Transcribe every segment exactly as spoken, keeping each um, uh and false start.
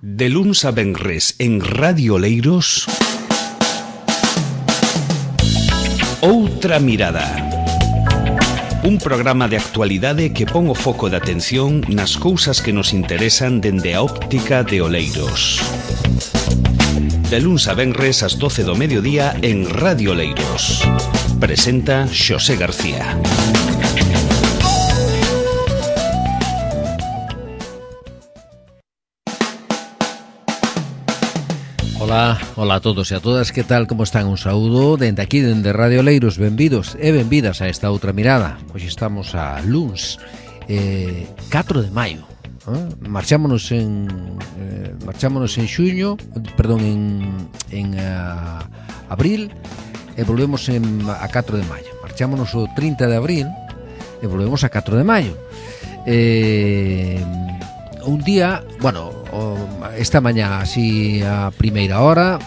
De luns a venres en Radio Oleiros, Outra Mirada. Un programa de actualidade que pon o foco de atención nas cousas que nos interesan dende a óptica de Oleiros. De luns a venres ás doce do mediodía en Radio Oleiros. Presenta Xosé García. Ola, ola a todos e a todas, que tal, como están? Un saúdo dende aquí, dende Radio Oleiros. Benvidos e benvidas a esta outra mirada. Hoxe estamos a luns, eh, catro de maio. ¿eh? Marchámonos en eh, marchámonos en xuño, perdón, en, en uh, abril, e volvemos en, a catro de maio. Marchámonos o trinta de abril e volvemos a catro de maio. Eh, un día, bueno, esta mañá así a primeira hora,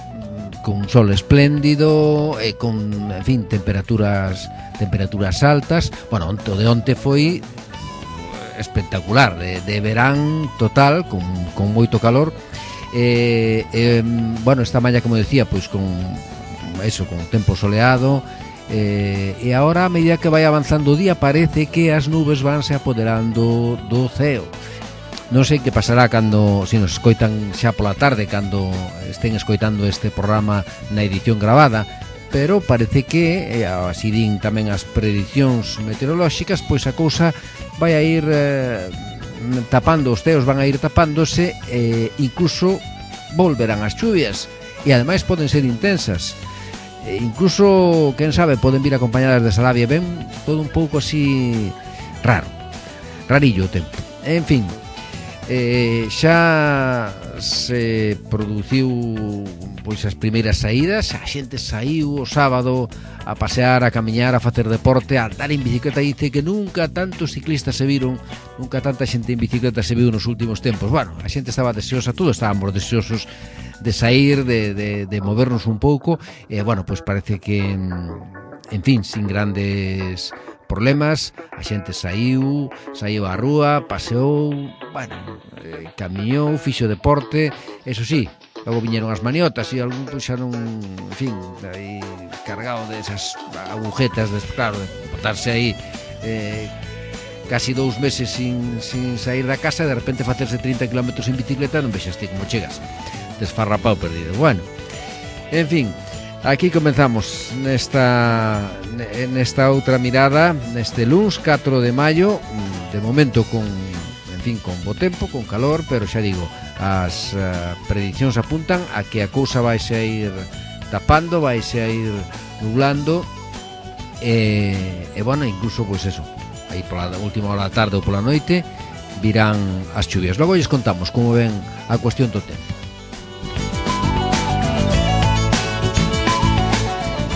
con sol espléndido e con, en fin, temperaturas temperaturas altas. Bueno, o de onte foi espectacular, de, de verán total, con, con moito calor. Eh, eh, bueno, esta mañá, como decía, pois con eso, con tempo soleado. Eh, e agora, a medida que vai avanzando o día, parece que as nubes vanse apoderando do ceo. Non sei que pasará cando, se nos escoitan xa pola tarde, cando estén escoitando este programa na edición gravada, pero parece que, así din tamén as predicións meteorolóxicas, pois a cousa vai a ir eh, tapando, os ceos van a ir tapándose, e incluso volverán as chuvias, e ademais poden ser intensas. E incluso, quen sabe, poden vir acompañadas de salavia. Ben, todo un pouco así raro, rarillo o tempo. En fin, Eh, xa se produciu pois as primeiras saídas. A xente saiu o sábado a pasear, a camiñar, a facer deporte, a andar en bicicleta. Dice que nunca tantos ciclistas se viron, nunca tanta xente en bicicleta se viu nos últimos tempos. Bueno, a xente estaba deseosa, todos estábamos deseosos de sair, de, de, de movernos un pouco. E eh, bueno, pois parece que, en fin, sin grandes problemas, a xente saiu, saiu á rúa, paseou, bueno, eh, camiñou, fixo deporte, eso sí, logo viñeron as maniotas e algún puxaron, en fin, aí cargado desas agujetas, de, claro, de botarse aí eh, casi dous meses sin, sin sair da casa, e de repente facerse trinta kilómetros en bicicleta, non vexaste como chegas, desfarrapado, perdido. Bueno, en fin, aquí comenzamos nesta nesta outra mirada, neste luns catro de maio, de momento con, en fin, con bo tempo, con calor, pero xa digo, as uh, predicións apuntan a que a cousa vaise a ir tapando, vaise a ir nublando, e, e bueno, incluso, pois eso, aí pola última hora da tarde ou pola noite virán as chuvias. Logo lles contamos como ven a cuestión do tempo.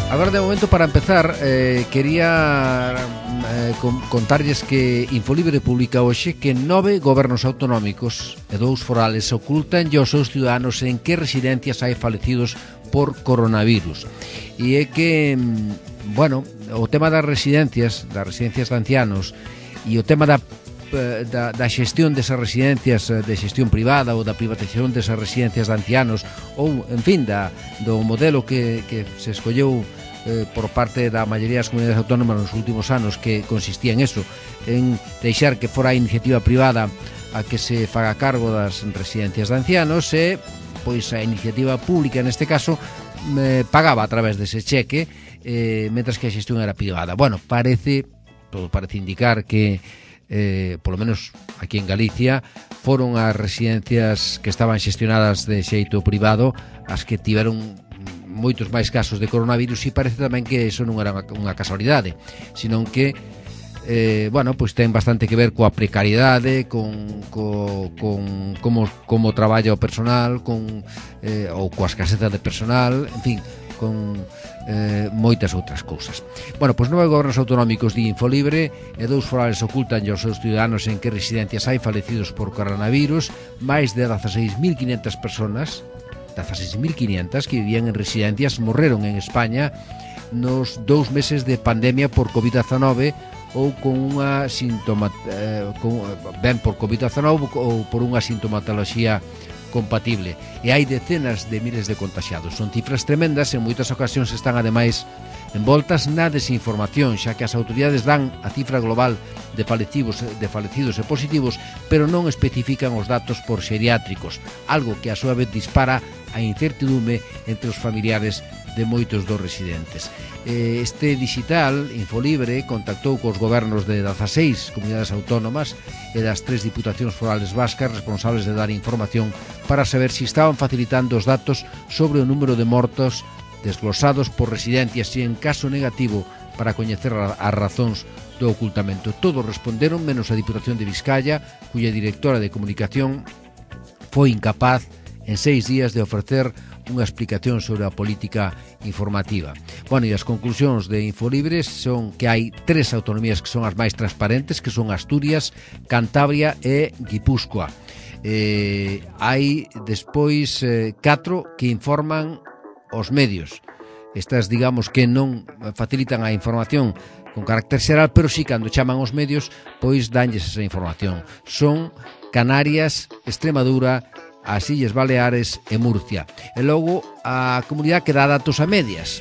Agora, de momento, para empezar, eh, quería eh, contarlles que Infolibre publica hoxe que nove gobernos autonómicos e dous forales ocultan aos seus ciudadanos en que residencias hai falecidos por coronavirus. E é que, bueno, o tema das residencias, das residencias de ancianos, e o tema da Da, da xestión desas residencias, de xestión privada, ou da privatización desas residencias de ancianos, ou, en fin, da, do modelo que, que se escolleu eh, por parte da maioría das comunidades autónomas nos últimos anos, que consistía en eso, en deixar que fora a iniciativa privada a que se faga cargo das residencias de ancianos, e pois a iniciativa pública, neste caso, eh, pagaba a través dese cheque, eh, mentras que a xestión era privada. Bueno, parece, todo parece indicar que Eh, polo menos aquí en Galicia foron as residencias que estaban xestionadas de xeito privado as que tiveron moitos máis casos de coronavirus, e parece tamén que eso non era unha casualidade, senón que eh, bueno, pois ten bastante que ver coa precariedade, con, co, con como, como traballa o personal, con, eh, ou coa escaseza de personal, en fin, con eh, moitas outras cousas. Bueno, pois nove gobernos autonómicos de Infolibre e dous forales ocultan aos seus ciudadanos en que residencias hai falecidos por coronavirus. Máis de dezaseis mil quinhentas personas, dezaseis mil quinhentas que vivían en residencias, morreron en España nos dous meses de pandemia por covid dezenove, ou con unha sintoma, eh, con, ben por covid dezenove ou por unha sintomatoloxía compatible. E hai decenas de miles de contaxiados. Son cifras tremendas e en moitas ocasións están ademais envoltas na desinformación, xa que as autoridades dan a cifra global de falecidos, de falecidos e positivos, pero non especifican os datos por xeriátricos, algo que a súa vez dispara a incertidume entre os familiares de moitos dos residentes. Este digital, Infolibre, contactou cos gobernos de dezaseis comunidades autónomas e das tres diputacións forales vascas responsables de dar información para saber se estaban facilitando os datos sobre o número de mortos desglosados por residencias e, en caso negativo, para coñecer as razóns do ocultamento. Todos responderon, menos a Diputación de Vizcaya, cuya directora de comunicación foi incapaz en seis días de ofrecer unha explicación sobre a política informativa. Bueno, e as conclusións de Infolibres son que hai tres autonomías que son as máis transparentes, que son Asturias, Cantabria e Guipúzcoa. Eh, hai despois eh, catro que informan os medios. Estas, digamos, que non facilitan a información con carácter xeral, pero sí, cando chaman os medios, pois danlles esa información. Son Canarias, Extremadura, as Illes Baleares e Murcia. E logo a comunidade que dá datos a medias.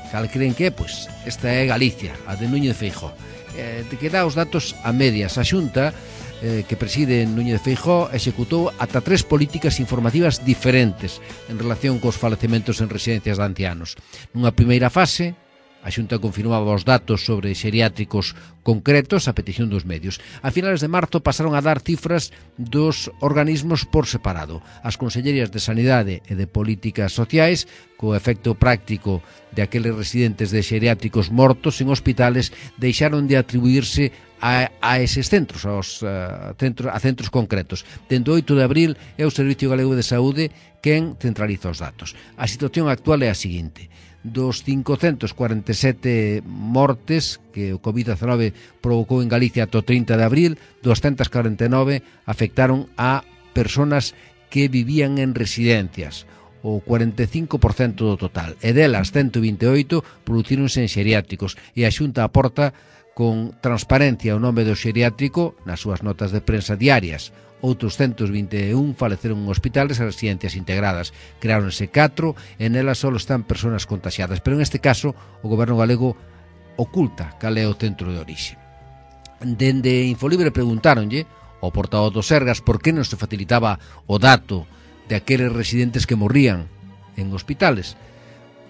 Cal creen que? Pois esta é Galicia, a de Núñez Feijóo. Eh, que dá os datos a medias. A Xunta, eh, que preside Núñez Feijóo, executou ata tres políticas informativas diferentes en relación cos falecementos en residencias de ancianos. Nunha primeira fase, a Xunta confirmaba os datos sobre xeriátricos concretos a petición dos medios. A finales de marzo pasaron a dar cifras dos organismos por separado. As consellerías de Sanidade e de Políticas Sociais, co efecto práctico de aqueles residentes de xeriátricos mortos en hospitales, deixaron de atribuirse a, a eses centros, aos, a, centros, a centros concretos. Dende o oito de abril é o Servicio Galego de Saúde quen centraliza os datos. A situación actual é a seguinte: dos quinhentos cuarenta e sete mortes que o covid diecinueve provocou en Galicia ata o trinta de abril, doscientos cuarenta e nove afectaron a persoas que vivían en residencias, o cuarenta e cinco por cento do total, e delas ciento vinte e oito producíronse en xeriátricos, e a Xunta aporta con transparencia o nome do xeriátrico nas súas notas de prensa diarias. Outros ciento vinte e un faleceron en hospitales e residencias integradas. Creáronse catro e nelas só están persoas contaxiadas, pero en este caso o goberno galego oculta cal é o centro de orixe. Dende Infolibre preguntáronlle ao portavoz do Sergas por que non se facilitaba o dato de aqueles residentes que morrían en hospitales.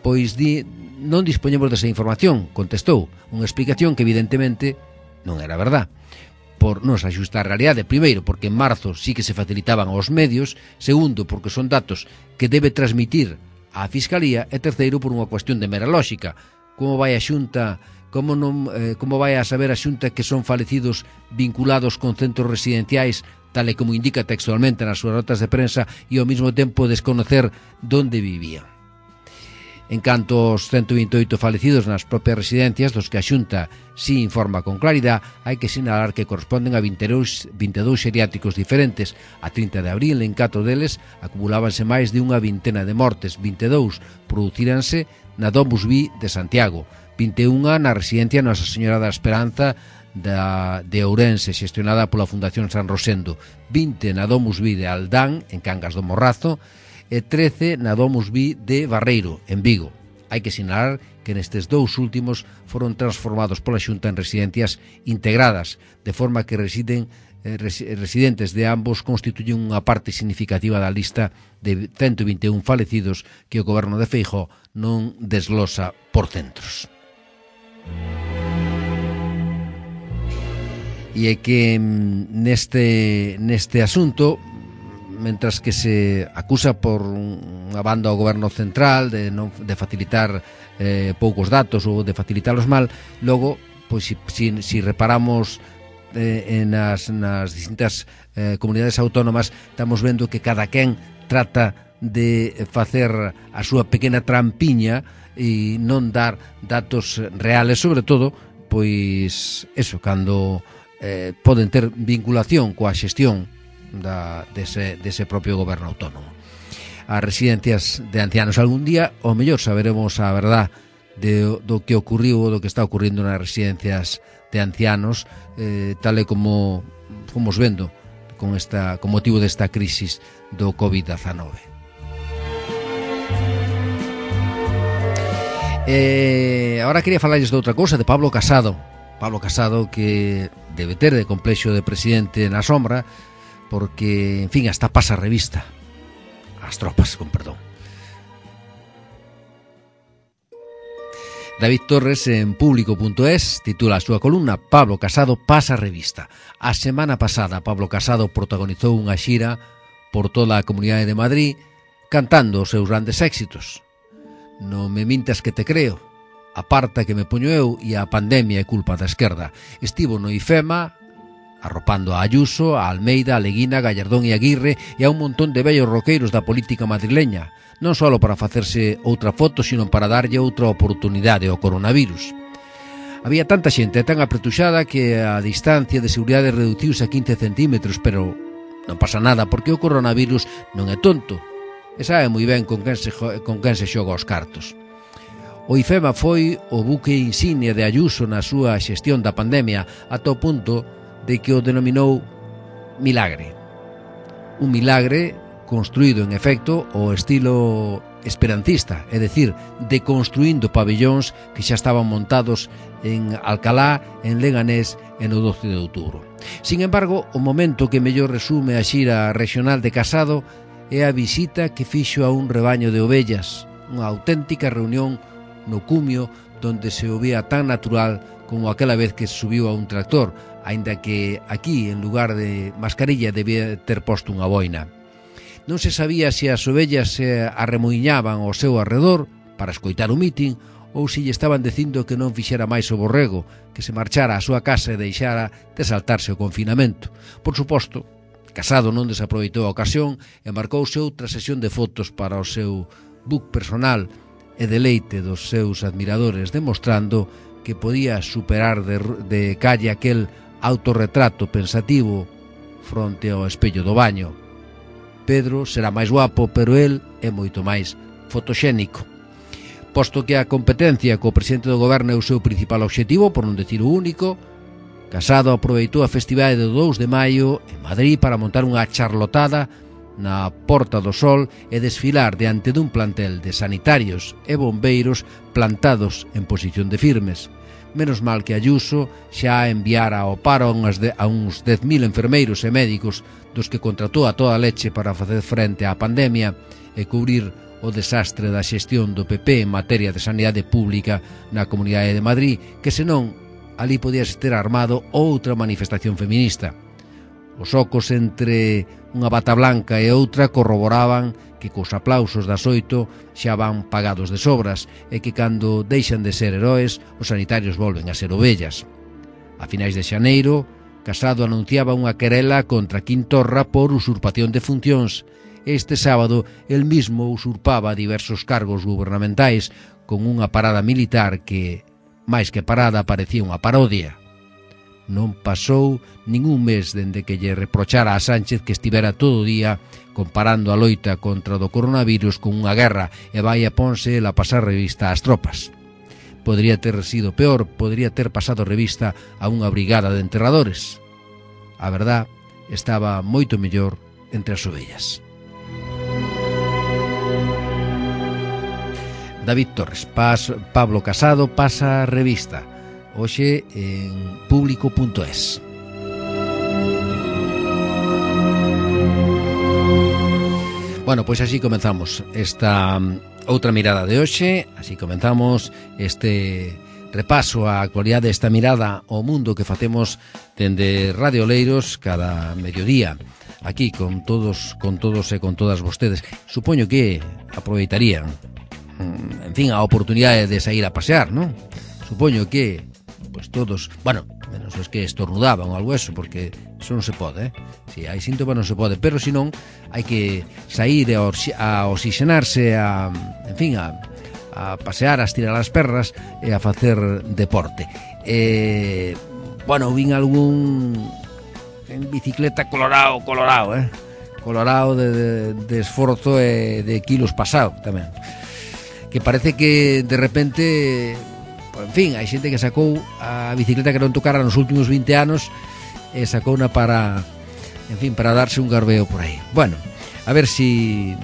Pois di, non dispoñemos desa información, contestou, unha explicación que evidentemente non era verdad, por non se axusta a realidade. Primeiro, porque en marzo sí que se facilitaban aos medios. Segundo, porque son datos que debe transmitir a Fiscalía. E terceiro, por unha cuestión de mera lógica. Como vai a Xunta, como, non, eh, como vai a saber a Xunta que son falecidos vinculados con centros residenciais, tal e como indica textualmente nas súas notas de prensa, e ao mesmo tempo desconocer donde vivían? En canto aos ciento vinte e oito falecidos nas propias residencias, dos que a Xunta si informa con claridade, hai que sinalar que corresponden a vinte e dous xeriátricos diferentes. A trinta de abril, en catro deles, acumulábanse máis de unha vintena de mortes. vinte e dous producíranse na Domus Vi de Santiago, vinte e un na residencia Nosa Señora da Esperanza da, de Ourense, xestionada pola Fundación San Rosendo, vinte na Domus Vi de Aldán, en Cangas do Morrazo, e trece na Domus Vi de Barreiro, en Vigo. Hai que sinalar que nestes dous últimos foron transformados pola Xunta en residencias integradas, de forma que residen, eh, residentes de ambos constituyen unha parte significativa da lista de ciento vinte e un falecidos que o goberno de Feijóo non desglosa por centros. E é que neste, neste asunto, mentras que se acusa por unha banda ao goberno central de, non, de facilitar eh, poucos datos ou de facilitalos mal, logo, pois, si, si, si reparamos eh, nas, nas distintas eh, comunidades autónomas, estamos vendo que cada quen trata de facer a súa pequena trampiña e non dar datos reales, sobre todo, pois, eso, cando eh, poden ter vinculación coa xestión Da, dese, dese propio goberno autónomo. As residencias de ancianos, algún día o mellor saberemos a verdad de, do que ocurriu ou do que está ocurrindo nas residencias de ancianos, eh, tal e como fomos vendo con, esta, con motivo desta crisis do covid diecinueve. Eh, ahora quería falarles de outra cousa, de Pablo Casado. Pablo Casado, que debe ter de complexo de presidente na sombra, porque, en fin, hasta pasa revista. As tropas, con perdón. David Torres, en público punto es, titula a súa columna Pablo Casado pasa revista. A semana pasada, Pablo Casado protagonizou unha xira por toda a Comunidade de Madrid cantando os seus grandes éxitos. Non me mintas que te creo, aparta que me poño eu e a pandemia é culpa da esquerda. Estivo no IFEMA arropando a Ayuso, a Almeida, a Leguina, Gallardón e Aguirre e a un montón de vellos roqueiros da política madrileña, non só para facerse outra foto, sino para darlle outra oportunidade ao coronavirus. Había tanta xente tan apretuxada que a distancia de seguridade reduciuse a quince centímetros, pero non pasa nada porque o coronavirus non é tonto e sabe moi ben con quen se, con quen se xoga os cartos. O IFEMA foi o buque insignia de Ayuso na súa xestión da pandemia ata o punto de que o denominou milagre. Un milagre construído, en efecto, ao estilo esperancista, é dicir, deconstruindo pabellóns que xa estaban montados en Alcalá, en Leganés e no doce de outubro. Sin embargo, o momento que mellor resume a xira regional de Casado é a visita que fixo a un rebaño de ovellas, unha auténtica reunión no cumio donde se o vía tan natural como aquela vez que subiu a un tractor, aínda que aquí, en lugar de mascarilla, debía ter posto unha boina. Non se sabía se as ovellas se arremoiñaban ao seu arredor para escoitar o mitin ou se lle estaban dicindo que non fixera máis o borrego, que se marchara á súa casa e deixara de saltarse o confinamento. Por suposto, Casado non desaproveitou a ocasión e marcouse outra sesión de fotos para o seu book personal e deleite dos seus admiradores, demostrando que podía superar de, de calle aquel autorretrato pensativo fronte ao espello do baño. Pedro será máis guapo, pero el é moito máis fotoxénico. Posto que a competencia co presidente do goberno é o seu principal obxectivo, por non decir o único, Casado aproveitou a festividade do dous de maio en Madrid para montar unha charlotada na Porta do Sol e desfilar diante dun plantel de sanitarios e bombeiros plantados en posición de firmes. Menos mal que Ayuso xa enviara ao paro a, unhas de, a uns dez mil enfermeiros e médicos dos que contratou a toda leche para facer frente á pandemia e cubrir o desastre da xestión do P P en materia de sanidade pública na Comunidade de Madrid, que senón ali podía ter armado outra manifestación feminista. Os ocos entre unha bata blanca e outra corroboraban que cos aplausos das oito xa van pagados de sobras e que cando deixan de ser heróis, os sanitarios volven a ser ovellas. A finais de xaneiro, Casado anunciaba unha querela contra Quintorra por usurpación de funcións. Este sábado, el mismo usurpaba diversos cargos gubernamentais con unha parada militar que, máis que parada, parecía unha parodia. Non pasou ningún mes dende que lle reprochara a Sánchez que estivera todo o día comparando a loita contra o do coronavirus con unha guerra e vai a ponse a pasar revista ás tropas. Podría ter sido peor, podría ter pasado revista a unha brigada de enterradores. A verdad estaba moito mellor entre as ovellas. David Torres, Pas, Pablo Casado pasa revista. Hoxe en público punto es. Bueno, pois así comenzamos esta outra mirada de hoxe, así comenzamos este repaso á actualidade, esta mirada ao mundo que facemos dende Radio Oleiros cada mediodía, aquí con todos, con todos e con todas vostedes. Supoño que aproveitarían, en fin, a oportunidade de sair a pasear, non? Supoño que pues todos, bueno, menos os que estornudaban ou algo eso, porque eso non se pode, eh? Si hai síntomas non se pode, pero se non, hai que sair a, a oxigenarse, a, en fin, a, a pasear, a estirar as perras e a facer deporte. Eh, bueno, vin algún en bicicleta colorado, colorado, eh? Colorado de, de, de esforzo e de kilos pasado tamén. Que parece que de repente, en fin, hai xente que sacou a bicicleta que non tocara nos últimos vinte anos e sacou una para en fin, para darse un garbeo por aí. Bueno, a ver si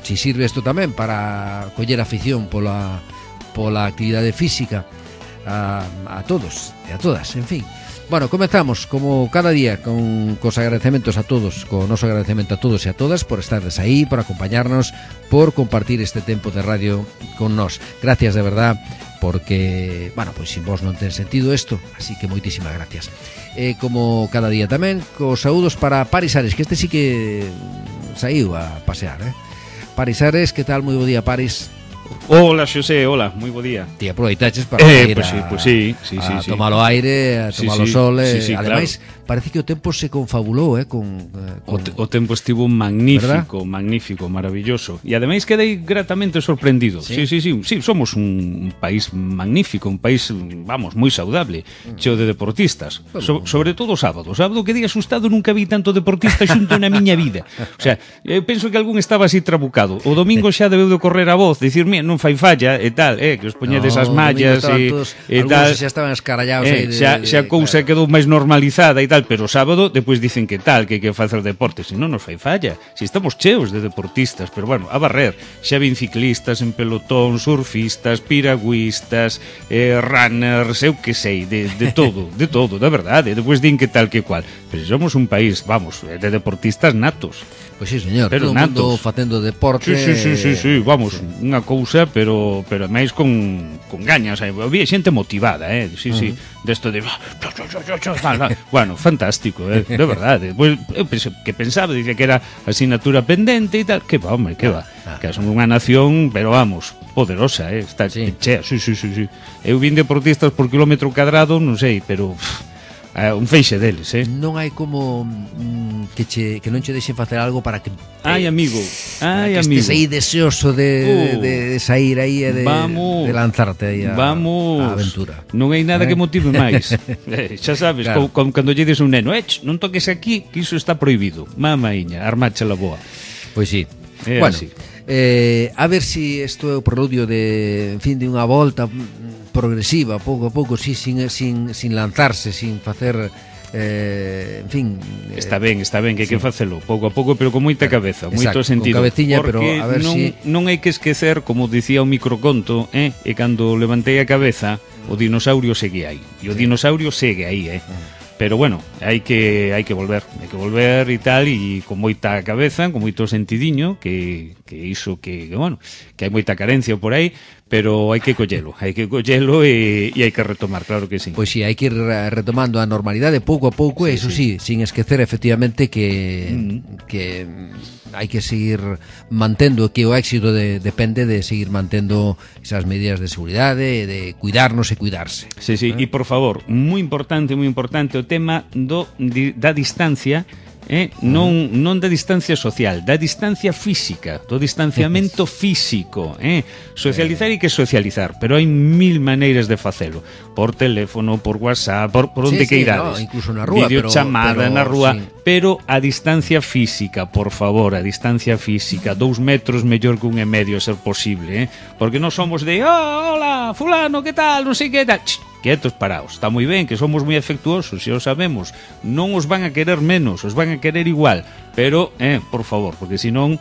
si sirve isto tamén para coller afición pola pola actividade física a, a todos e a todas, en fin. Bueno, comenzamos como cada día con cos agradecementos a todos, co noso agradecemento a todos e a todas por estardes aí, por acompañarnos, por compartir este tempo de radio con nós. Gracias de verdad, porque, bueno, pois sin vos non ten sentido isto, así que moitísimas gracias. E como cada día tamén, cos saúdos para Paris Ares, que este sí que saiu a pasear, eh? Paris Ares, que tal? Moi bo día, Paris. Hola, Xosé, hola, moi bo día. Ti aproveitaches para eh, ir pues a, sí, pues sí, sí, a sí, tomar o aire, a tomar o sí, sol, sí, eh, sí, ademais, claro. parece que o tempo se confabulou, eh, con, eh, con... O, te, o tempo estivo magnífico, ¿verdad? Magnífico, maravilloso. E ademais quedei gratamente sorprendido. Sí, sí, sí, sí, sí somos un país magnífico, un país, vamos, moi saudable, cheo de deportistas. So, sobre todo o sábado. O sábado quedei asustado, nunca vi tanto deportista xunto na miña vida. O sea, eu penso que algún estaba así trabucado. O domingo xa debeu de correr a voz, dicir, mira, non fai falla, e tal, eh, que os poñedes no, as mallas e, todos, e tal. Xa estaban escarallados eh, aí de, xa, xa a cousa claro. Quedou máis normalizada e tal, pero o sábado depois dicen que tal, que hai que facer deporte, se non nos fai falla, se estamos cheos de deportistas, pero bueno, a barrer, xa vin ciclistas en pelotón, surfistas, piragüistas, eh, runners, eu que sei, de, de todo, de todo, da verdade, depois din que tal que cual, pero somos un país, vamos, de deportistas natos. Pois sí, señor, pero todo o mundo facendo deporte. Sí, sí, sí, sí, sí, vamos, sí. Unha cousa, pero pero máis con con gañas, eh. Había xente motivada, eh. Sí, uh -huh. sí, desto de bueno, fantástico, eh, de verdade. Pois eu pensei, que pensaba, dicía que era asignatura pendente e tal, que va, hombre, que va. Ah, que somos unha nación, pero vamos, poderosa, eh, está sí. chea. Sí, sí, sí, sí. Eu vin deportistas por kilómetro cadrado, non sei, pero Uh, un feixe deles, eh? Non hai como mm, que che que non che deixen facer algo para que ai, eh, amigo, ai, que amigo. estés aí deseoso de, uh, de, de sair aí e de, de lanzarte aí a, vamos, a aventura. Non hai nada eh? que motive máis. eh, xa sabes, claro. como, como cando lle dices un neno, eh, non toques aquí, que iso está prohibido. Mamaiña, armache la boa. Pois sí. É bueno, así. Eh, a ver si isto é o preludio de, en fin, de unha volta progresiva, pouco a pouco, sí, sin, sin, sin lanzarse, sin facer, eh, en fin... Está ben, está ben, que hai sí. que facelo, pouco a pouco, pero con moita cabeza, moito sentido. Con cabeciña, pero a ver non, si... non hai que esquecer, como dicía o microconto, eh, e cando levantei a cabeza, o dinosaurio segue aí, e o sí. dinosaurio segue aí, eh. Uh. Pero bueno, hai que hai que volver, hai que volver e tal, e con moita cabeza, con moito sentidiño, que que iso que, que bueno, que hai moita carencia por aí, pero hai que collelo, hai que collelo e, e hai que retomar, claro que sí. Pois sí, hai que ir retomando a normalidade pouco a pouco, sí, e iso sí, sí, sin esquecer efectivamente que mm. que hai que seguir mantendo, que o éxito de, depende de seguir mantendo esas medidas de seguridade, de cuidarnos e cuidarse. Sí, sí, e ¿eh? Por favor, moi importante, moi importante o tema do da distancia. Eh, non, non da distancia social, da distancia física, do distanciamento físico, eh. Socializar hai que socializar, pero hai mil maneiras de facelo, por teléfono, por WhatsApp, por, por onde sí, queirades, sí, no, incluso na rúa, videochamada pero, na rúa, sí. pero a distancia física, por favor, a distancia física, dous metros mellor que un e medio a ser posible, eh. Porque non somos de, oh, hola, fulano, que tal, non sei que tal, Ch, quietos, paraos, está moi ben, que somos moi afectuosos, se o sabemos, non os van a querer menos, os van a querer igual, pero, eh, por favor, porque senón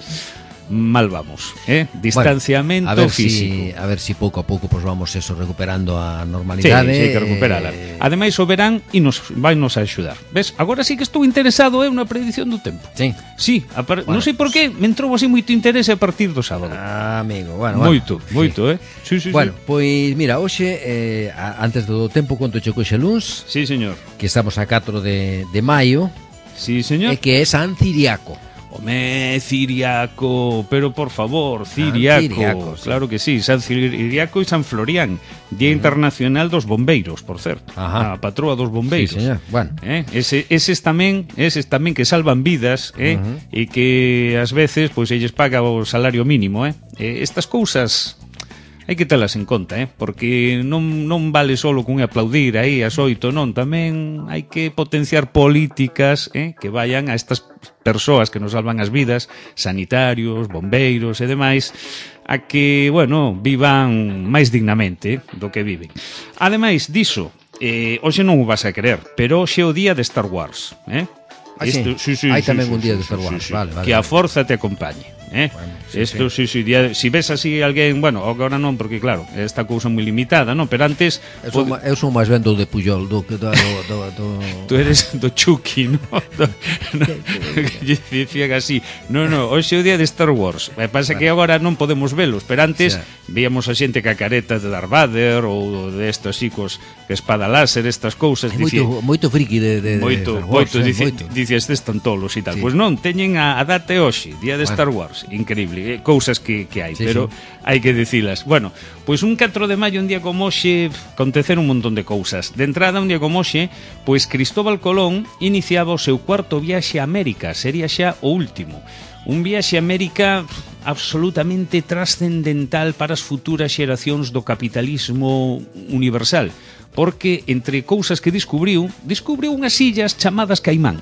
mal vamos, eh? Distanciamento bueno, a ver físico. Si, a ver si pouco a pouco pues vamos eso recuperando a normalidade. Sí, sí, hai que recuperala. Eh... Ademais o verán e nos vai nos a axudar. Ves? Agora sí que estou interesado eu na predición do tempo. Sí. Sí, par... bueno, non sei por qué, me entrou así moito interese a partir do sábado. Ah, amigo, bueno, moito, bueno, moito, sí. eh. Sí, sí, bueno, sí. pois mira, hoxe eh, antes do tempo conto che coxe luns. Sí, señor. Que estamos a catro de de maio. Sí, señor. E que é San Ciriaco. Home, Ciriaco, pero por favor, Ciriaco, Ciriaco sí. Claro que sí, San Ciriaco e San Florián, Día uh-huh. Internacional dos Bombeiros, por certo. Ajá. A patroa dos bombeiros. Sí, señor. Bueno. Eh? Ese, eses tamén, eses tamén que salvan vidas, eh? Uh-huh. E que ás veces pois elles paga o salario mínimo, eh? eh estas cousas hai que telas en conta, eh? Porque non, non vale solo con aplaudir aí as oito, non, tamén hai que potenciar políticas, eh? Que vayan a estas persoas que nos salvan as vidas, sanitarios, bombeiros e demais, a que, bueno, vivan máis dignamente, eh? Do que viven. Ademais diso, eh, hoxe non o vas a querer, pero hoxe é o día de Star Wars, eh? Ah, sí. Esto, sí, sí, Hai sí, tamén sí, un día sí, de Star sí, Wars, sí, sí. vale, vale. Que a vale. forza te acompañe. Eh? Bueno, sí, Esto, sí. sí, sí, día, si ves así alguén, bueno, agora non, porque claro, esta cousa moi limitada, non? Pero antes Eu son, pode... eu son máis ben do de Puyol, do que do, do, do... Tú eres do Chucky, ¿no? Do, no que dicían así. No, no, hoxe é o día de Star Wars. Me pasa que agora non podemos velos, pero antes sí. víamos a xente ca careta de Darth Vader ou de estos chicos que espada láser, estas cousas. É moito, moito friki de, de, moito, de Star Wars, moito, eh, dice, moito. dice estes están tolos e tal. Sí. Pois non, teñen a, a data e hoxe, día de Bueno. Star Wars. Increíble, eh, cousas que, que hai, Sí, pero sí. hai que dicilas. Bueno, pois un catro de maio, un día como hoxe, aconteceron un montón de cousas. De entrada, un día como hoxe, pois Cristóbal Colón iniciaba o seu cuarto viaxe a América, sería xa o último. Un viaxe a América absolutamente trascendental para as futuras xeracións do capitalismo universal, porque entre cousas que descubriu, descubriu unhas illas chamadas Caimán.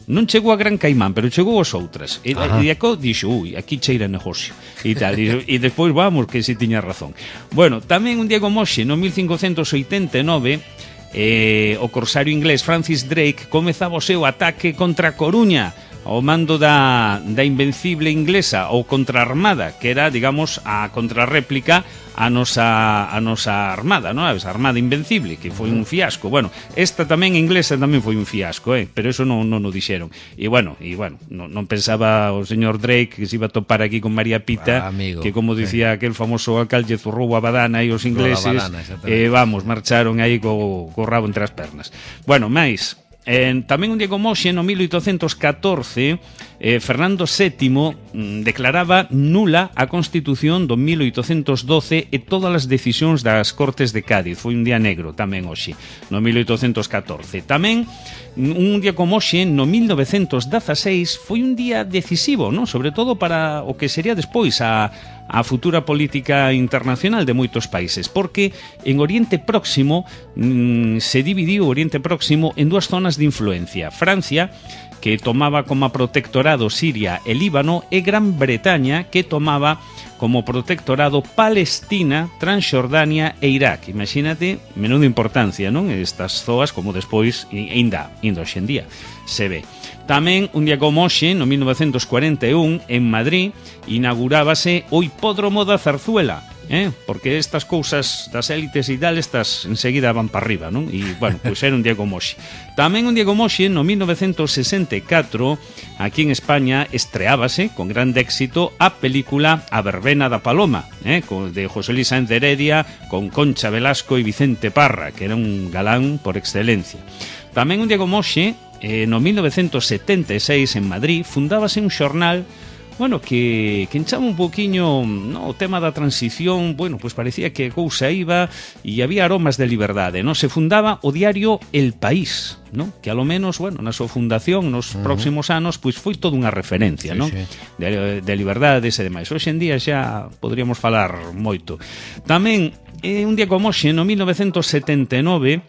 Non chegou a Gran Caimán, pero chegou as outras. E, e aco dixo, ui, aquí cheira negocio. E tal, e, e despois vamos, que si tiña razón. Bueno, tamén un día como hoxe, no mil cincocentos oitenta e nove, eh, o corsario inglés Francis Drake comezaba o seu ataque contra a Coruña, ao mando da, da invencible inglesa ou contraarmada, que era, digamos, a contrarréplica a nosa, a nosa armada, non? A armada invencible, que foi un fiasco. Bueno, esta tamén inglesa tamén foi un fiasco, eh? Pero eso non, non o dixeron. E bueno, e bueno, non, non pensaba o señor Drake que se iba a topar aquí con María Pita, ah, amigo, que como dicía sí. aquel famoso alcalde zurrou a badana e os ingleses, e eh, vamos, marcharon aí co, co rabo entre as pernas. Bueno, máis... Eh, tamén un día como hoxe, no mil oitocentos catorce, eh, Fernando sétimo mm, declaraba nula a Constitución do mil oitocentos doce e todas as decisións das Cortes de Cádiz. Foi un día negro tamén hoxe, no mil oitocentos catorce. Tamén un día como hoxe, no mil novecentos dezaseis, foi un día decisivo, non? Sobre todo para o que sería despois a, a futura política internacional de moitos países, porque en Oriente Próximo mmm, se dividiu o Oriente Próximo en dúas zonas de influencia. Francia, que tomaba como protectorado Siria e Líbano, e Gran Bretaña, que tomaba como protectorado Palestina, Transxordania e Irak. Imagínate, menuda importancia, non? Estas zoas, como despois, ainda, ainda hoxe en día, se ve. Tamén, un día como hoxe, no mil novecentos cuarenta e un, en Madrid, inaugurábase o Hipódromo da Zarzuela, eh? Porque estas cousas das élites e tal, estas enseguida van para arriba, non? E, bueno, pois era un día como hoxe. Tamén un día como hoxe, no mil novecentos sesenta e catro, aquí en España, estreábase, con grande éxito, a película A Verbena da Paloma, eh? De José Luis Sáenz de Heredia, con Concha Velasco e Vicente Parra, que era un galán por excelencia. Tamén un día como hoxe, eh, no mil novecentos setenta e seis, en Madrid, fundábase un xornal, bueno, que, que enchaba un poquinho, no, o tema da transición. Bueno, pues parecía que a cousa iba e había aromas de liberdade, non? Se fundaba o diario El País, non? Que a lo menos, bueno, na súa fundación nos uh-huh. próximos anos, pois foi toda unha referencia, sí, non? Sí. De, de liberdades e demais. Hoxe en día xa poderíamos falar moito. Tamén, eh, un día como hoxe, no mil novecentos setenta e nove,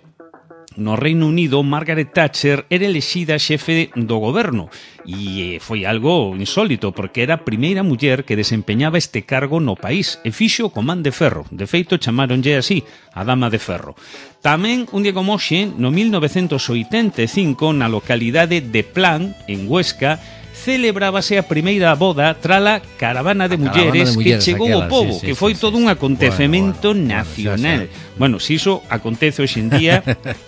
no Reino Unido, Margaret Thatcher era elexida xefe do goberno e foi algo insólito porque era a primeira muller que desempeñaba este cargo no país e fixo co man de ferro. De feito, chamaronlle así, a Dama de Ferro. Tamén, un día como hoxe, no mil novecentos oitenta e cinco, na localidade de Plan, en Huesca, celebrábase a primeira boda trala caravana de mulleres, caravana de mulleres que chegou ao pobo, sí, sí, que foi sí, todo sí. un acontecemento bueno, bueno, nacional. Bueno, xa, xa. Bueno, se iso acontece hoxe en día,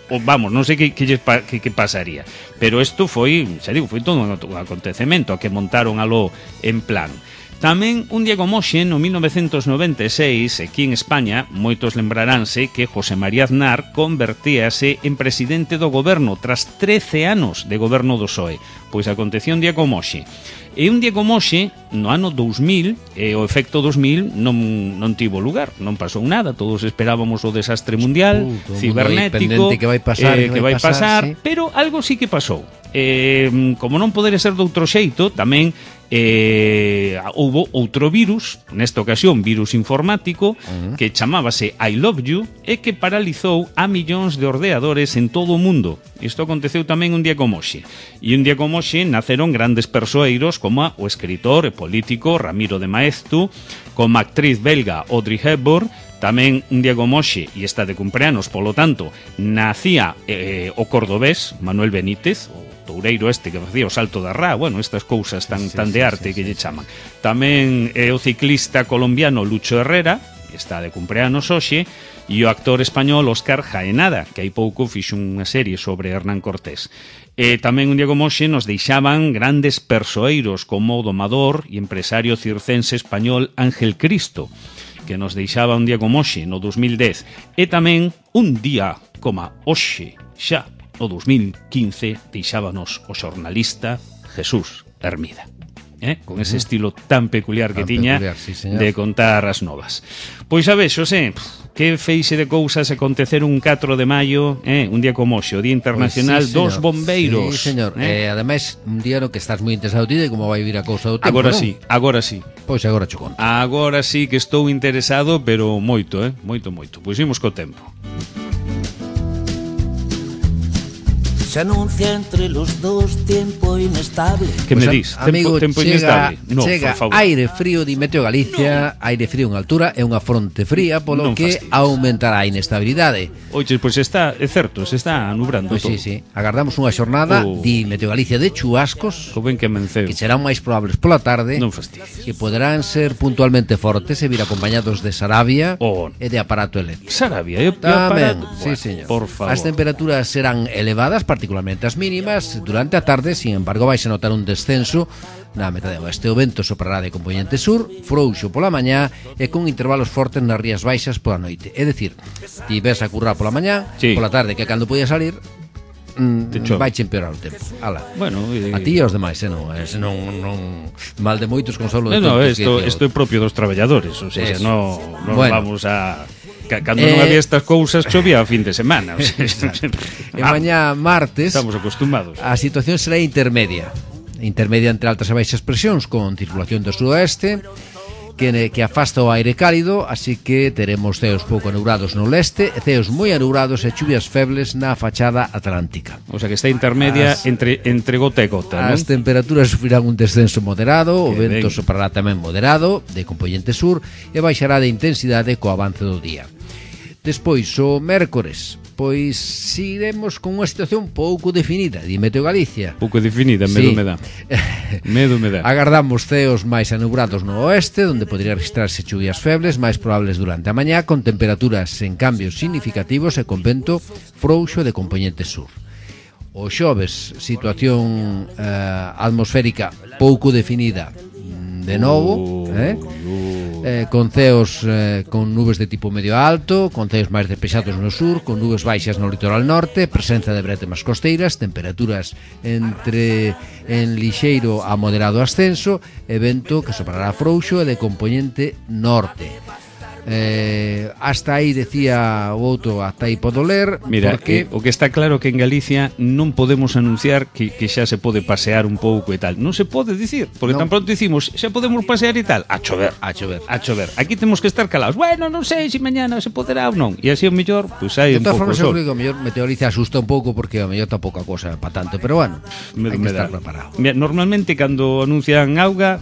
o, vamos, non sei que, que, que, que pasaría, pero isto foi, xa digo, foi todo un acontecemento a que montaron aló en Plan. Tamén, un día como hoxe, no mil novecentos noventa e seis, aquí en España, moitos lembraránse que José María Aznar convertíase en presidente do goberno tras trece anos de goberno do P S O E. Pois acontecía un día como hoxe. E un día como hoxe, no ano dous mil, e o efecto dos mil non, non tivo lugar, non pasou nada, todos esperábamos o desastre mundial, uh, cibernético, que vai pasar, eh, que vai pasar, pasar sí. Pero algo sí que pasou. Eh, como non podería ser de outro xeito, tamén eh, houbo outro virus, nesta ocasión virus informático, uh-huh. que chamábase I Love You e que paralizou a millóns de ordenadores en todo o mundo. Isto aconteceu tamén un día como hoxe. E un día como hoxe naceron grandes persoeiros como o escritor e político Ramiro de Maeztu, como a actriz belga Audrey Hepburn. Tamén un día como hoxe, e está de cumpleanos, polo tanto, nacía eh, o cordobés Manuel Benítez, o toureiro este que facía o salto da Rá, bueno, estas cousas tan, sí, tan de sí, arte sí, que sí, lle chaman. Tamén é o ciclista colombiano Lucho Herrera, que está de cumpleanos hoxe, e o actor español Óscar Jaenada, que hai pouco fixo unha serie sobre Hernán Cortés. E tamén un día como hoxe nos deixaban grandes persoeiros como o domador e empresario circense español Ángel Cristo, que nos deixaba un día como hoxe, no dos mil dez. E tamén un día como hoxe, xa no dos mil quince, deixábanos o xornalista Jesús Hermida. Eh? Con ese estilo tan peculiar que Tan tiña peculiar, sí, señor. de contar as novas. Pois a vez, Xosé, que feixe de cousas acontecer un catro de maio, eh? Un día como hoxe, o Día Internacional Pois sí, dos señor. Bombeiros. Sí, señor. Eh? Eh, ademais, un día no que estás moi interesado ti de como vai vir a cousa do tempo, Agora non? sí, agora sí. Pois agora cho conto. Agora sí que estou interesado, pero moito, eh? Moito, moito. Pois imos co tempo. Se anuncia entre los dos tiempo inestable. Que me Pois, dis? amigo, tempo, tempo chega, inestable? No, chega por favor. aire frío di Meteo Galicia, no. Aire frío en altura e unha fronte fría, polo Non que fastidies. aumentará a inestabilidade. Oye, pois está, é certo, se está nubrando Pois todo. sí, sí. Agardamos unha xornada Oh. di Meteo Galicia de chuascos Co ben que amenceu. que serán máis probables pola tarde. Non fastidies. Que poderán ser puntualmente fortes e vir acompañados de sarabia Oh. e de aparato eléctrico. Sarabia, eu, eu Tamén, parado. sí, Bueno, señor. Por favor. As temperaturas serán elevadas, particularmente as mínimas. Durante a tarde, sin embargo, vais a notar un descenso na metade oeste. O vento soprará de componente sur, frouxo pola mañá e con intervalos fortes nas rías baixas pola noite. É dicir, ti ves a currar pola mañá, Sí. pola tarde, que cando podía salir, Te chove. mm, vai che empeorar o tempo. Ala. Bueno, e... A ti e aos demais, eh, non, eh, non, non mal de moitos consolo de No, no, tontos, isto, que- isto é propio dos traballadores, o sea, Eso. no, no Bueno. vamos a... ca- Cando Eh, non había estas cousas, chovía a fin de semana. O sea, E mañá martes Estamos acostumados. a situación será intermedia. Intermedia entre altas e baixas presións con circulación do sudoeste que, que afasta o aire cálido, así que teremos ceos pouco anubrados no leste e ceos moi anubrados e chuvias febles na fachada atlántica. O sea, que está intermedia As- entre, entre gota e gota, As non? temperaturas sufrirán un descenso moderado, o Que vento ben. soprará tamén moderado, de componente sur, e baixará de intensidade co avance do día. Despois, o mércores, pois seguiremos con unha situación pouco definida, di Meteo Galicia. Pouco definida, medo Sí. me dá. Medo me dá. Agardamos ceos máis anubrados no oeste, onde podría registrarse chuvias febles máis probables durante a mañá, con temperaturas en cambios significativos e con vento frouxo de componente sur. O xoves, situación eh, atmosférica pouco definida mm, de novo, eh? Eh, con ceos eh, con nubes de tipo medio alto, con ceos máis despexados no sur, con nubes baixas no litoral norte, presenza de brétemas costeiras, temperaturas entre en lixeiro a moderado ascenso e vento que soprará frouxo e de componente norte. Eh, hasta aí decía o outro, hasta aí podo ler. Mira, porque... eh, o que está claro que en Galicia non podemos anunciar que, que xa se pode pasear un pouco e tal. Non se pode dicir, porque Non. tan pronto dicimos xa podemos pasear e tal. A chover. A chover. A chover. Aquí temos que estar calados. Bueno, non sei se mañana se poderá ou non. E así o mellor, pois hai De un todas pouco formas, sol. eu creo que o mellor Meteo Galicia asusta un pouco porque o mellor tampouco a cosa para tanto, pero bueno, Me, hai que me estar dá. preparado. Mira, normalmente cando anuncian auga,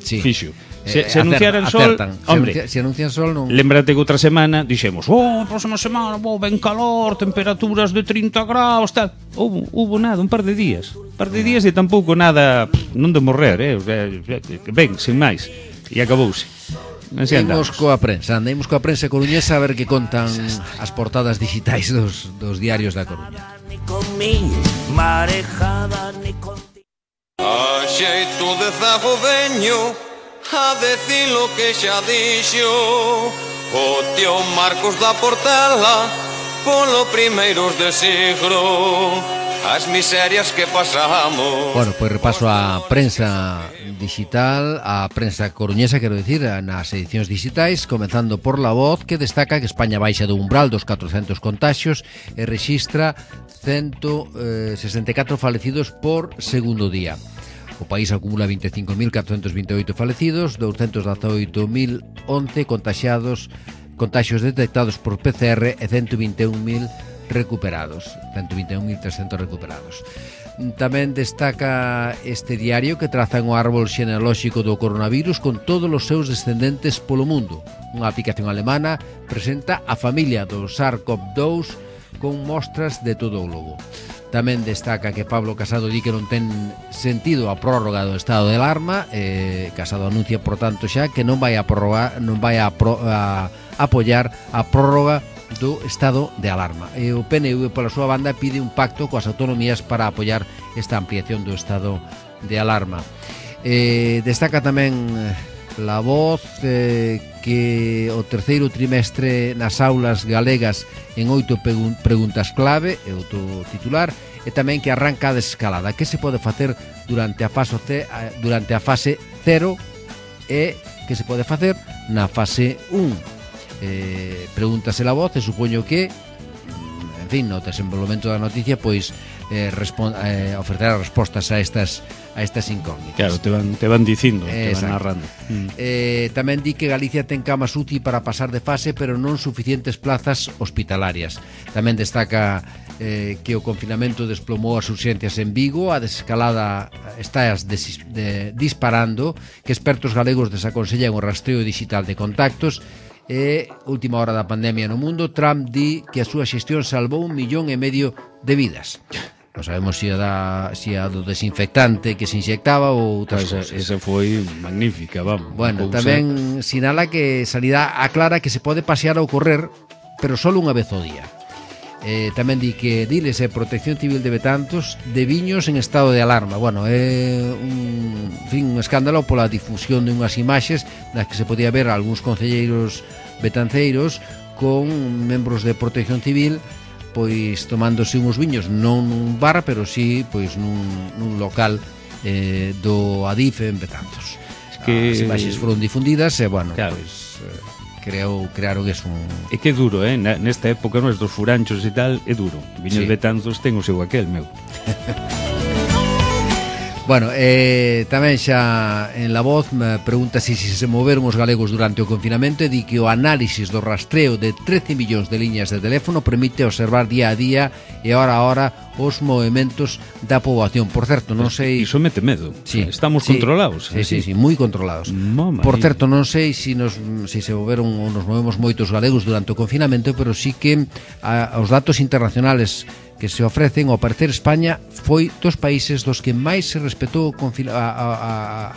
Sí. fixo. Se, Eh, se anunciaran sol, acertan. Se hombre, anuncia- se anuncian sol non. lembrate que outra semana dixemos, oh, a próxima semana, oh, ben calor, temperaturas de trinta graus, tal. Hubo, hubo nada, un par de días. Un par de días e tampouco nada, pff, non de morrer, eh? O sea, ben, sin máis. E acabouse. Así Imos andamos. coa prensa, andemos coa prensa coruñesa a ver que contan as portadas digitais dos, dos diarios da Coruña. Ni con mi marejada ni contigo. A xeito de zago veño a decir lo que xa dixo o tío Marcos da Portela polo primeiros de siglo as miserias que pasamos. Bueno, pois repaso a prensa digital, a prensa coruñesa, quero dicir, nas edicións digitais, comenzando por La Voz, que destaca que España baixa do umbral dos catrocentos contaxios e rexistra ciento sesenta e catro falecidos por segundo día. O país acumula vinte e cinco mil catrocentos vinte e oito falecidos, douscentos dezaoito mil once contaxiados, contaxios detectados por P C R e ciento vinte e un mil recuperados, ciento vinte e un mil trescentos recuperados. Tamén destaca este diario que traza un árbol xenealóxico do coronavirus con todos os seus descendentes polo mundo. Unha aplicación alemana presenta a familia do SARS-CoV dous con mostras de todo o globo. Tamén destaca que Pablo Casado di que non ten sentido a prórroga do estado de alarma. eh, Casado anuncia, por tanto, xa que non vai a prorrogar, non vai a, pro, a apoiar a prórroga do estado de alarma. E o P N V, pola súa banda, pide un pacto coas autonomías para apoiar esta ampliación do estado de alarma. eh, Destaca tamén La Voz eh, que o terceiro trimestre nas aulas galegas en oito preguntas clave, é o titular, e tamén que arranca a desescalada. Que se pode facer durante a fase C, durante a fase cero e que se pode facer na fase un. Eh, pregúntase La Voz e supoño que, en fin, no desenvolvemento da noticia, pois eh, eh, ofrecerá respostas a estas a estas incógnitas. Claro, te van, te van dicindo, te Exacto. van narrando. Mm. Eh, tamén di que Galicia ten camas U C I para pasar de fase, pero non suficientes plazas hospitalarias. Tamén destaca eh, que o confinamento desplomou as urxencias en Vigo, a desescalada está as des, de, disparando, que expertos galegos desaconsellan o rastreo digital de contactos. E última hora da pandemia no mundo, Trump di que a súa xestión salvou un millón e medio de vidas. Non sabemos se a, si a do desinfectante que se inyectaba ou outras Esa, cousas. esa foi magnífica, vamos. Bueno, cousa... tamén sinala que Sanidade aclara que se pode pasear ou correr, pero só unha vez ao día. Eh, tamén di que diles e Protección Civil de Betanzos de viños en estado de alarma. Bueno, é un, en fin, un escándalo pola difusión de unhas imaxes nas que se podía ver algúns concelleiros betanceiros con membros de Protección Civil pois tomándose uns viños non nun bar, pero sí pois nun, nun local eh, do Adif en Betanzos. Es que... As imaxes foron difundidas e, bueno, claro. pois eh, creou, crearon que es un... É que é duro, eh? Nesta época, nos dos furanchos e tal, é duro. Viños Sí. Betanzos ten o seu aquel, meu. Bueno, eh, tamén xa en La Voz me pregunta se si se moveron os galegos durante o confinamento e di que o análisis do rastreo de trece millóns de liñas de teléfono permite observar día a día e hora a hora os movimentos da poboación. Por certo, non sei... Iso mete medo. Sí, Estamos sí, controlados. Sí, así. sí, sí, moi controlados. Mamma Por mía. certo, non sei se si nos si se moveron ou nos movemos moitos galegos durante o confinamento, pero sí que a, os datos internacionales que se ofrecen, ao parecer España foi dos países dos que máis se respetou o confina, a, a,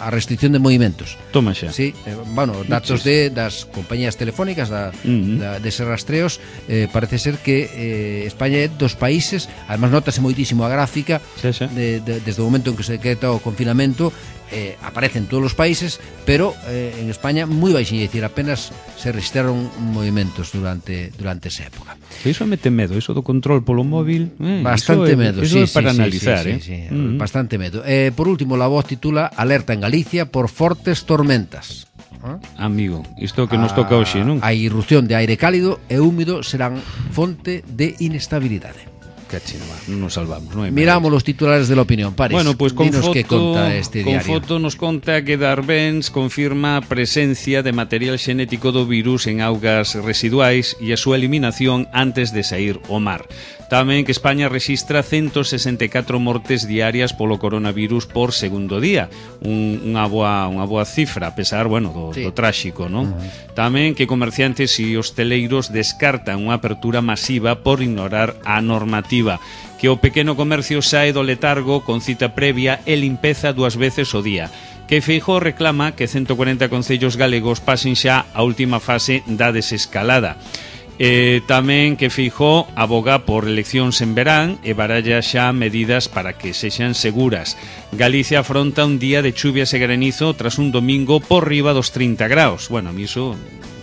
a restricción de movimentos. Toma xa. Sí, eh, bueno, datos de das compañías telefónicas da, Uh-huh. da, deses rastreos, eh, parece ser que eh, España é dos países, además notase moitísimo a gráfica Xa, xa. de, de, desde o momento en que se decreta o confinamento, eh, aparecen todos os países, pero eh, en España moi baixinho, é dicir, apenas se registraron movimentos durante durante esa época. Iso mete medo, iso do control polo móvil, eh, Bastante iso é, medo, iso sí, é para sí, analizar, sí, eh. sí, sí, Mm. bastante medo. Eh, por último, La Voz titula Alerta en Galicia por fortes tormentas. ¿Ah? Amigo, isto que nos toca hoxe, non? A irrupción de aire cálido e húmido serán fonte de inestabilidade. Cachino, va, non nos salvamos, non hai Miramos los titulares de la opinión, Paris. Bueno, pues con Dinos foto, que conta este con diario. foto nos conta que Darbens confirma a presencia de material xenético do virus en augas residuais e a súa eliminación antes de sair ao mar. Tamén que España rexistra ciento sesenta e catro mortes diarias polo coronavirus por segundo día. Un, unha, boa, unha boa cifra, a pesar, bueno, do, Sí. do tráxico, non? Uh-huh. Tamén que comerciantes e hosteleiros descartan unha apertura masiva por ignorar a normativa. Que o pequeno comercio sae do letargo con cita previa e limpeza dúas veces ao día. Que Feijóo reclama que ciento cuarenta concellos galegos pasen xa a última fase da desescalada. Eh, tamén que Feijóo aboga por eleccións en verán e baralla xa medidas para que sexan seguras. Galicia afronta un día de chuvias e granizo tras un domingo por riba dos trinta graus. Bueno, a mí iso,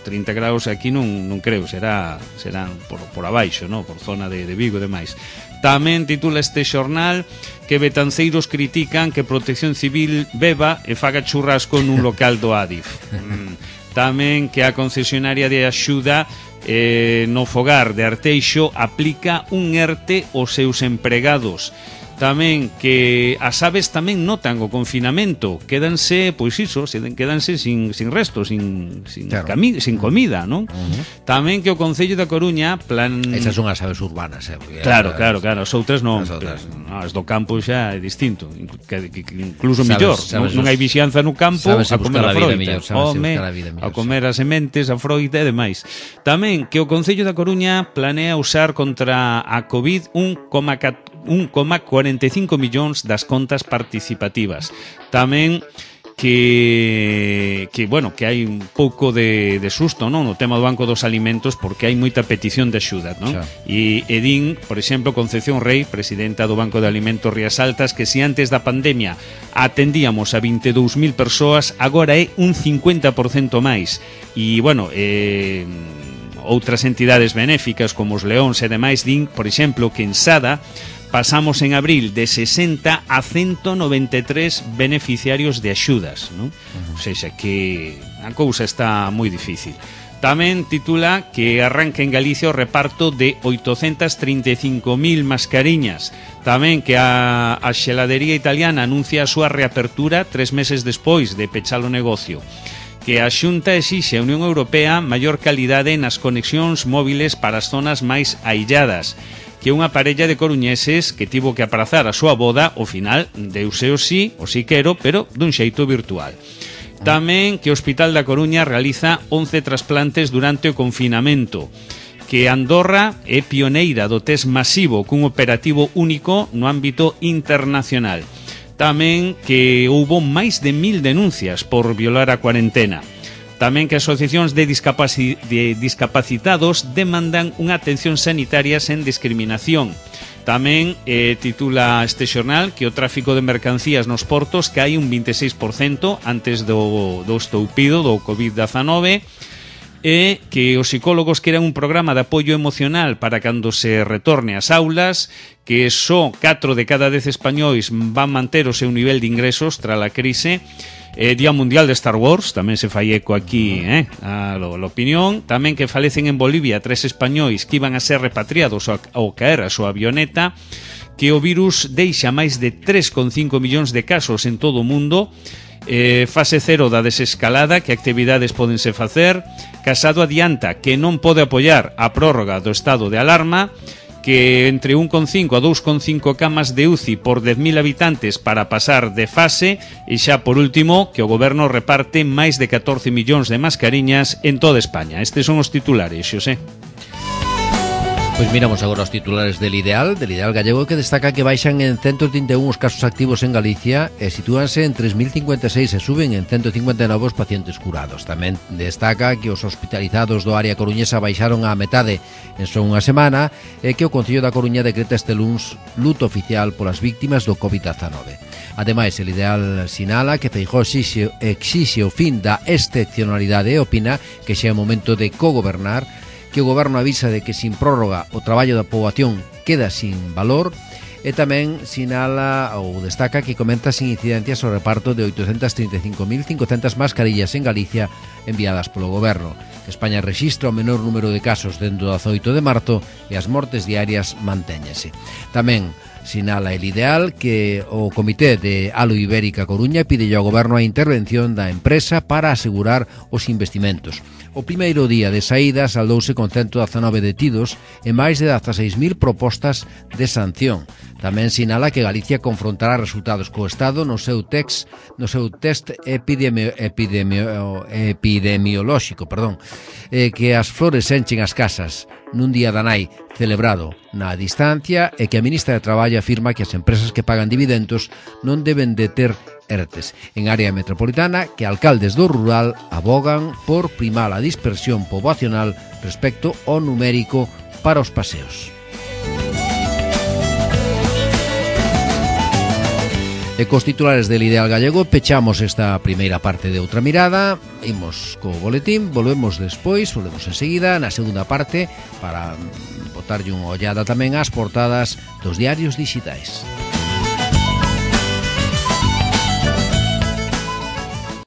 trinta graus aquí non, non creo, será serán por, por abaixo, no? Por zona de, de Vigo e demais. Tamén titula este xornal que betanceiros critican que Protección Civil beba e faga churrasco nun local do Adif. Mm. Tamén que a concesionaria de axuda eh, no fogar de Arteixo aplica un ERTE aos seus empregados. Tamén que as aves tamén notan o confinamento, quédanse, pois iso, quédanse sin, sin resto, sin, sin, claro. cami, sin comida, non? Uh-huh. Tamén que o Concello da Coruña plan... Esas son as aves urbanas, eh? Claro, claro, claro, as outras non, as, outras. As do campo xa é distinto, que, que, que incluso mellor, sabes, non, non hai vixianza no campo a comer a froita, millor, home, a, a comer as sementes, a froita e demais. Tamén que o Concello da Coruña planea usar contra a COVID un coma cuarenta e cinco millóns das contas participativas. Tamén que que bueno, que hai un pouco de, de susto, non, no tema do Banco dos Alimentos, porque hai moita petición de axuda, non? E Edín, por exemplo, Concepción Rei, presidenta do Banco de Alimentos Rías Altas, que se antes da pandemia atendíamos a vinte e dous mil persoas, agora é un cincuenta por cento máis. E bueno, eh outras entidades benéficas como os Leóns e demais din, por exemplo, que en Sada pasamos en abril de sesenta a ciento noventa e tres beneficiarios de axudas, non? Uh-huh. O seja, que a cousa está moi difícil. Tamén titula que arranca en Galicia o reparto de oitocentas trinta e cinco mil mascariñas. Tamén que a, a xeladería italiana anuncia a súa reapertura tres meses despois de pechar o negocio. Que a Xunta exixe a Unión Europea maior calidade nas conexións móviles para as zonas máis ailladas. Que unha parella de coruñeses que tivo que aprazar a súa boda, ao final deuse o sí, o sí quero, pero dun xeito virtual. Tamén que o Hospital da Coruña realiza once trasplantes durante o confinamento. Que Andorra é pioneira do test masivo cun operativo único no ámbito internacional. Tamén que houbo máis de mil denuncias por violar a cuarentena. Tamén que asociacións de, discapaci- de discapacitados demandan unha atención sanitaria sen discriminación. Tamén eh, titula este xornal que o tráfico de mercancías nos portos cae un vinte e seis por cento antes do, do estoupido do covid diecinueve e que os psicólogos queran un programa de apoio emocional para cando se retorne ás aulas, que só catro de cada dez españois van manter o seu nivel de ingresos tras a crise. Eh, Día Mundial de Star Wars, tamén se fai eco aquí, eh, a lo, lo opinión. Tamén que falecen en Bolivia tres españois que iban a ser repatriados ao, ao caer a súa avioneta. Que o virus deixa máis de tres coma cinco millóns de casos en todo o mundo. Eh, fase cero da desescalada, que actividades pódense facer. Casado adianta que non pode apoiar a prórroga do estado de alarma. Que entre un coma cinco a dous coma cinco camas de U C I por dez mil habitantes para pasar de fase. E xa por último, que o goberno reparte máis de catorce millóns de mascariñas en toda España. Estes son os titulares, Xosé. Pois miramos agora os titulares del Ideal, del Ideal gallego, que destaca que baixan en ciento trinta e un os casos activos en Galicia e sitúanse en tres mil cincuenta e seis e suben en ciento cincuenta e nove os pacientes curados. Tamén destaca que os hospitalizados do área coruñesa baixaron a metade en só unha semana e que o Concello da Coruña decreta este luns luto oficial polas víctimas do covid diecinueve. Ademais, el Ideal sinala que Feijóo exixe, exixe o fin da excepcionalidade e opina que xa é o momento de cogobernar, que o goberno avisa de que sin prórroga o traballo da poboación queda sin valor e tamén sinala ou destaca que comenta sin incidencias o reparto de oitocentas trinta e cinco mil cincocentas mascarillas en Galicia enviadas polo goberno. España rexistra o menor número de casos dende o dezaoito de marzo e as mortes diarias mantéñense. Tamén sinala el Ideal que o Comité de Alo Ibérica Coruña pide ao goberno a intervención da empresa para asegurar os investimentos. O primeiro día de saída saldouse con ciento diecinueve detidos e máis de dezaseis mil propostas de sanción. Tamén sinala que Galicia confrontará resultados co Estado no seu text, no seu test epidemio, epidemio, epidemiolóxico, perdón, eh, que as flores enchen as casas nun día da nai celebrado na distancia e que a ministra de Traballo afirma que as empresas que pagan dividendos non deben de ter ERTES. En área metropolitana, que alcaldes do rural abogan por primar a dispersión poboacional respecto ao numérico para os paseos. E cos titulares del Ideal gallego pechamos esta primeira parte de Outra Mirada. Imos co boletín, volvemos despois, volvemos enseguida na segunda parte para botarlle unha ollada tamén ás portadas dos diarios digitais.